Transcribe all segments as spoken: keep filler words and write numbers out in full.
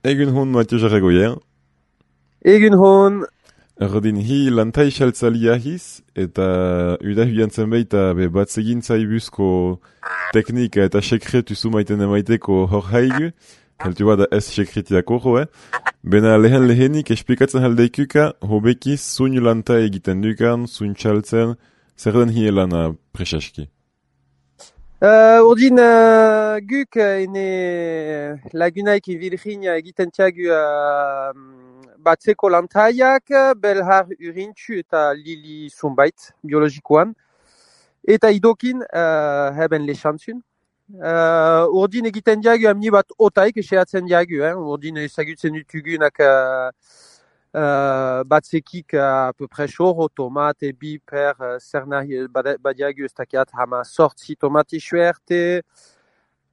Egun hon Mathieu Jarragoyen. Egun hon. Erdin hi lantai xaltzalia hiz, eta udahuian zenbait be bat zegintza ibuzko teknika eta sekretu zumaiten emaiteko hor haigu, heltu bada ez sekretiako joe. Bena lehen lehenik esplikatzen haldeikuka, hobekiz zuin lantai egiten dukan, zuin txaltzen, zer den hi elana presaski. Uh, urdin uh, guk uh, ene lagunaik ivilrin egiten tiagu uh, batzeko lantaiak, belhar urintxu eta lili zumbait biologikoan. Eta idokin uh, heben lexantzun. Uh, urdin egiten diagu amni bat otaik eseatzen diagu, eh? Urdin ezagutzen dutugunak uh, Uh, batzekik uh, à peu près xoro, tomate, biper, uh, zer nahi badiagu ez dakiat hama sortzi tomate xuerte,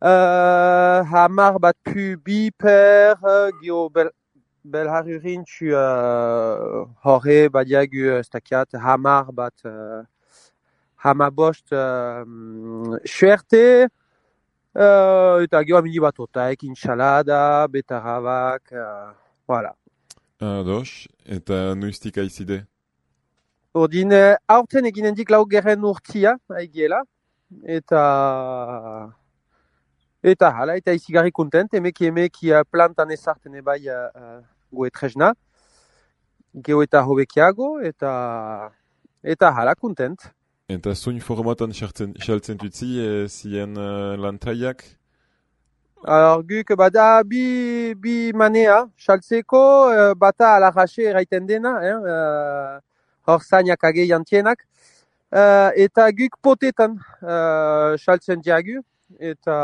uh, hamar bat pu biper, uh, gio bel, belhar urintxu uh, horre badiagu ez dakiat hamar bat uh, hama bost uh, xuerte, uh, eta gio amini bat otaik, inxalada, betarabak, uh, voilà. Ados, eta nuistik aizide? Ordin, aurten eginendik lau gerren urtia, haigiela, eta eta hala, eta izigarri kontent, emeki emeki plantan ezarten ebai uh, goe trezna, geo eta hobekiago, eta eta hala kontent. Eta zuin formatan xaltzen tutzi e, zien uh, lantaiak? Alors, guk bada bi, bi manea, xaltzeko, uh, bata alajaxe eraiten dena, eh, uh, hor zainak ageian tienak, uh, eta guk potetan xaltzen uh, diagu, eta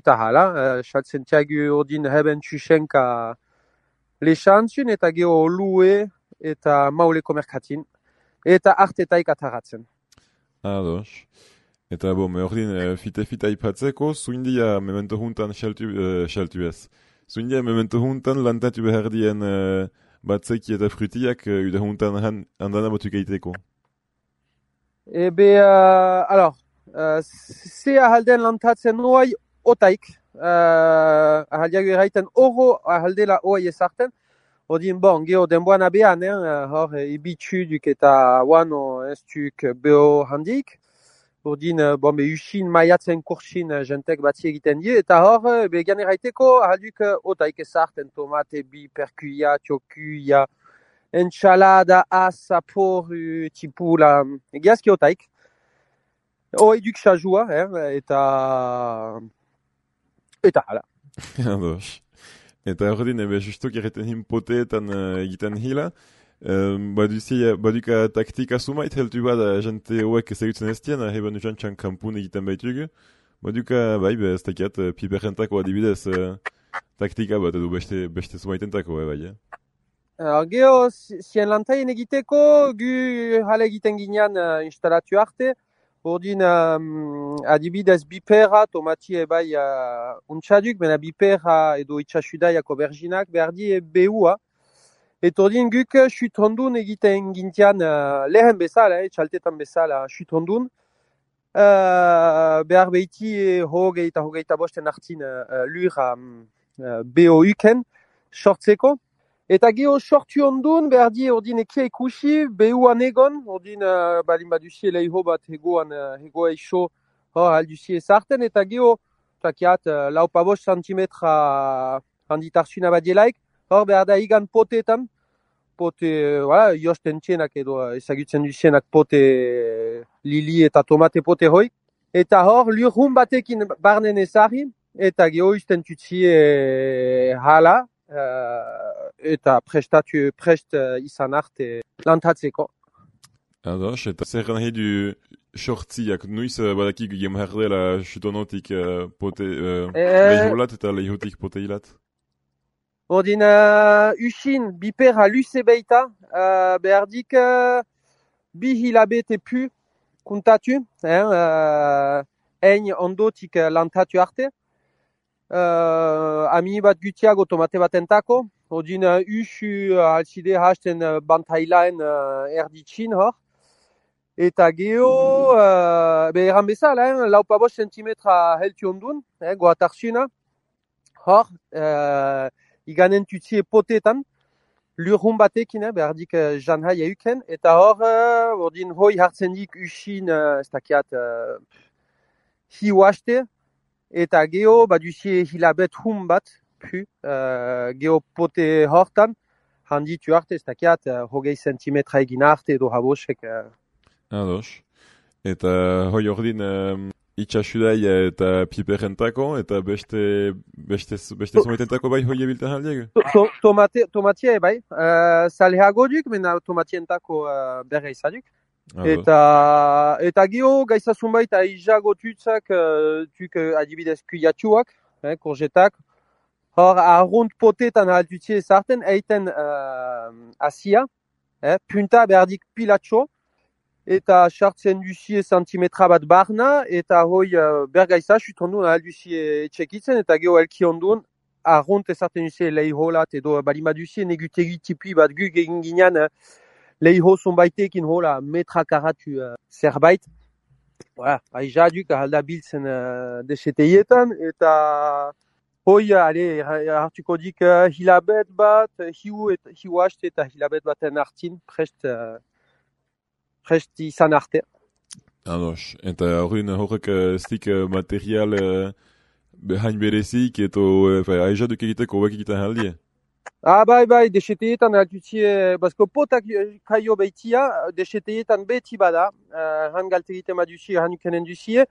eta hala, uh, xaltzen diagu ordin heben txusenka lexantzun, eta geho lue, eta mauleko merkatin, eta artetaik ataratzen. Ados. Eta bo, me ordin e, fite-fita ipatzeko, zuindia memento juntan xaltu, e, xaltu ez. Zuindia memento juntan lantatu behardien e, batzeki eta frutiak e, uda juntan han, handana batuk eiteko. Ebe, uh, alors, uh, se ahalden lantatzen oai otaik, uh, ahaldiago eraiten oro ahaldela oai ezarten, odin bon, geho denboan abean, eh, hor e, ibitxu duk eta wano ez duk beho handik, ordin, bon, be usin maiatzen kursin jentek batzi egiten die, eta hor, be gan eraiteko ahalduk otaik ezarten, tomate, bi, perkuia, txokuia, enxalada, asa, poru, tipula, egiazki otaik. Hoi duk xajua, eh, eta eta hala. Ados. Eta ordin, ebe justuk erreten hin poteetan uh, egiten hila, Um, baduzi, baduka taktika sumait heltu bada jante hoek ezagutzen ez dien, heben jantxan kampun egiten baitugu. Baduka, bai, be, ez dakiat, piperrentako adibidez uh, taktika bat edo beste, beste sumaitentako, bai, eh? Alors, geho, zien lantaien egiteko, gu hala egiten ginean uh, instalatu arte, ordin um, adibidez bipera, tomati ebai uh, untxaduk, bena bipera edo itxasudaiako berginak, berdi e behua. Eta ordin guk xutrondun egiten gintian uh, lehen bezala, eh, txaltetan bezala xutrondun. Uh, behar behiti e, hogei eta hogei eta bosten hartzin uh, lur um, uh, beho uken, sortzeko. Eta geho sortu ondun, behar di ordin ekia ikusi, behuan egon, ordin uh, balin baduzie lehiho bat hegoan, uh, hegoa iso hor alduzie ezarten, eta geho, takiat, uh, lau pa bost santimetra handitarzuna badielaik, hor behar da igan potetan, pote, voilà, josten txenak edo ezagutzen duzienak pote lili eta tomate pote hoi. Eta hor, lurhun batekin barnen ezari, eta geho izten tutzie e, hala, uh, eta prestatu, prest uh, izan arte lantatzeko. Ados, eta zer nahi du sortziak nuiz uh, badakik gem herdela xutonotik uh, pote uh, E... lehiholat eta lehihotik poteilat? Ordin, uh, usin, bipera luze beita, uh, behardik uh, bi hilabete pu kuntatu, eh, uh, ein ondotik uh, lantatu arte. Uh, ami bat gutiago tomate bat entako, ordin uh, usu uh, alzide hasten uh, bantailaen uh, erditsin hor. Eta geho, uh, be eran bezala, eh, lau pa bost centimetra heltu ondun, eh, goatarzuna. hor, uh, iganen tutzie potetan, lurhun batekin, eh, behardik uh, janhai euken, eta hor, uh, ordin hoi hartzen dik usin, uh, ez dakiat, uh, hi oaste, eta geho, baduzie hilabet hun bat, pu, uh, geho pote hortan, handitu arte, ez dakiat, uh, hogei sentimetra egin arte edo habosek. Uh. Ados. Eta hoi ordin um, itxasudai eta piperentako, eta beste, beste, beste zometentako bai hoi ebilten aldiak? To, tomate, tomatia bai, uh, salheago duk, mena tomatientako uh, berre izaduk. Eta, eta geho, gaizazun baita izago tutzak, uh, tuk uh, adibidez kuyatxuak, eh, korjetak. Hor, arrunt potetan altutzie ezarten, eiten uh, asia, eh, punta berdik pilatxo, eta sartzen duzie sentimetra bat barna, eta hoi uh, bergaiza sutondun alduzie etxekitzen, eta geho elki ondun, arrunt ezarten duzie leiholat, edo balima duzie negutegi tipi bat gu egin ginean, uh, leiho zonbaitekin hola metra karatu uh, zerbait. Voilà, aiza duk ahalda biltzen uh, deseteietan, eta hoi, ale, hartuko dik uh, hilabet bat, hiu eta hiu haste eta hilabet baten hartin, prest, uh, prest izan arte. Ados, eta horren horrek uh, stik uh, material uh, behain berezik, eto uh, aiza duk egiteko hobek egiten aldie? Ah, bai, bai, deseteietan altutzie, bazko potak kaio behitia, deseteietan beti bada, uh, han galte egiten baduzie, han ukenen duzie.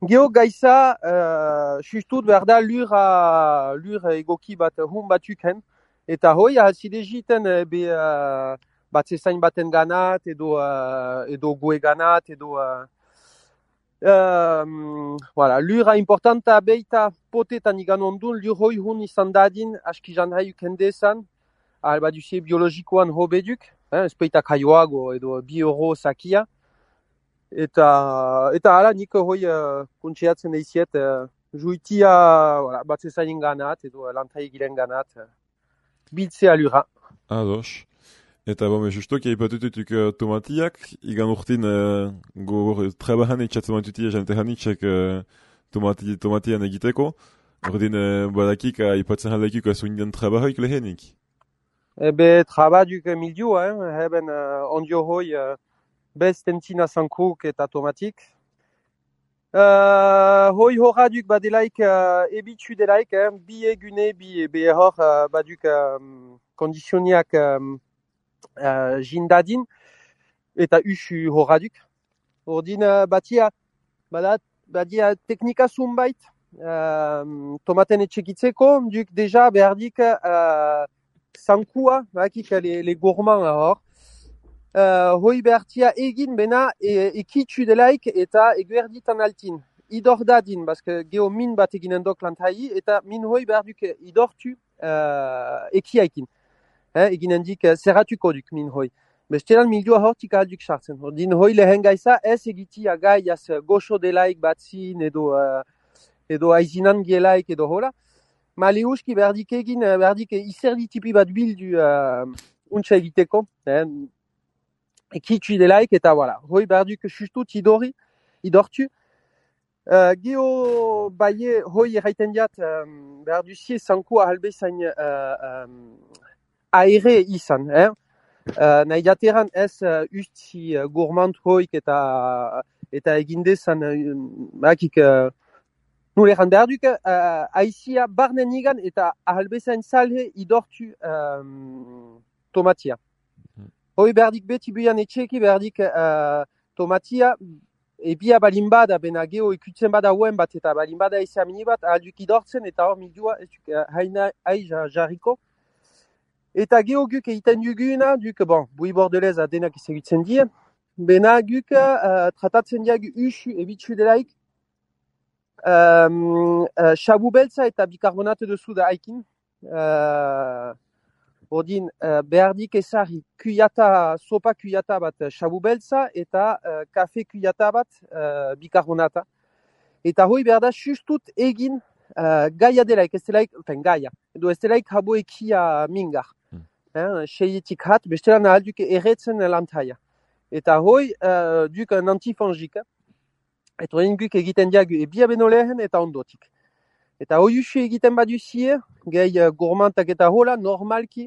Geho gaiza, uh, sustut behar da lur, a, lur egoki bat hun batuken, eta hoi ahazide jiten be uh, batzezain baten ganat, edo, uh, edo goe ganat, edo... Uh, Um, voilà, lura importanta beita potetan igan ondun, lur hoi hun izan dadin, aski janhai ukendezan, alba duzie biologikoan hobeduk, eh, espeita kaioago edo bi euro sakia, eta, eta ala nik hoi uh, kuntxeatzen eiziet, uh, juitia voilà, batzezain ganat, edo lantai giren ganat, uh, biltzea lura. Ados. Eta bome, justo, kia ipatututuk uh, tomatiak, igan urtin uh, gogor trebahan etxatzen mantutia jantehan itxek uh, tomati, tomatian egiteko. Ordin uh, badakik uh, ipatzen halekik uh, zuindian trebahoik lehenik. Ebe trabaduk mildio, hein, heben uh, ondio hoi uh, bez tentina zankruk eta tomatik. Uh, hoi horraduk badelaik uh, ebitxu delaik, hein, bi egune, bi ebe hor uh, baduk um, kondisioniak um, Uh, jindadin eta usu horraduk. Ordin uh, batia, badat, badia teknika zunbait uh, tomaten etxekitzeko, duk deja behardik uh, zankua, bakik le, le gourmand hor. Uh, hoi behartia egin bena e, ekitsu delaik eta eguerditan altin. Idor dadin, baske geho min bat eginen dok lantai, eta min hoi beharduk idortu uh, ekiaikin. Eh, eginen dik uh, zerratuko duk min hoi. Bestelan milioa hortik alduk sartzen. Ordin hoi lehen gaiza ez egitia gai az goxo delaik batzin edo, uh, edo aizinan gielaik edo hola. Ma leuski berdik egin, berdik izerdi tipi bat bildu uh, untsa egiteko. Eh, ekitsu delaik eta voilà. Hoi berduk sustut idori, idortu. Uh, geho baie hoi erraiten diat um, berduzie zanko ahalbezain uh, um, aire izan, eh? Uh, nahi jateran ez uh, usti uh, gourmand hoik eta, eta egindezan uh, bakik uh, nuleran berduk uh, aizia barnen igan eta ahalbezain salhe idortu um, tomatia. Hoi berdik beti buian etxeki berdik uh, tomatia ebia balimbada bena geho ikutzen bada hoen bat eta balimbada eizia mini bat ahalduk idortzen eta hor midua uh, haina aiza jarriko. Eta geho guk egiten duguna, duk, bon, bui bordelez adenak izagutzen dien, bena guk uh, tratatzen diag usu ebitsu delaik, um, uh, xabu beltza eta bikarbonate duzu da haikin. Uh, ordin, uh, behardik ezari kuyata, sopa kuyata bat xabu beltza eta uh, kafe kuyata bat uh, bikarbonata. Eta hoi behar da sustut egin uh, gaia delaik, ez delaik, enfin gaia, edo ez delaik habo ekia mingar. Eh, seietik hat, bestelan ahal duke erretzen lantaia. Eta hoi, uh, duk un antifangik. Eta hori guk egiten diagu ebia beno lehen eta ondotik. Eta oiusi egiten baduzie, gehi uh, gourmantak eta hola, normalki,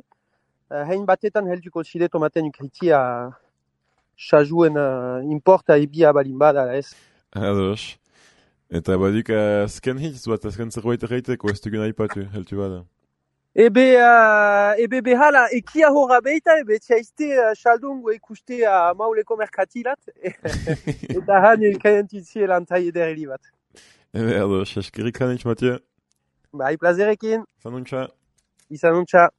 uh, hein batetan helduko zide tomaten ukritia sajuen uh, importa ebia balin bada, ez? Ados. Eta baduk azken hitz bat, azken zerbait erraiteko, ez dugun aipatu, heltu bada. Ebe, uh, ebe behala, ekia horra beita, ebe txaizte uh, xaldungo ikuste uh, mauleko merkatilat, eta han elkaientitzie lantai edereli bat. Ebe, ados, eskerrik hanitz, Mathieu. Bai, plazerekin. Zanuntza. Izanuntza.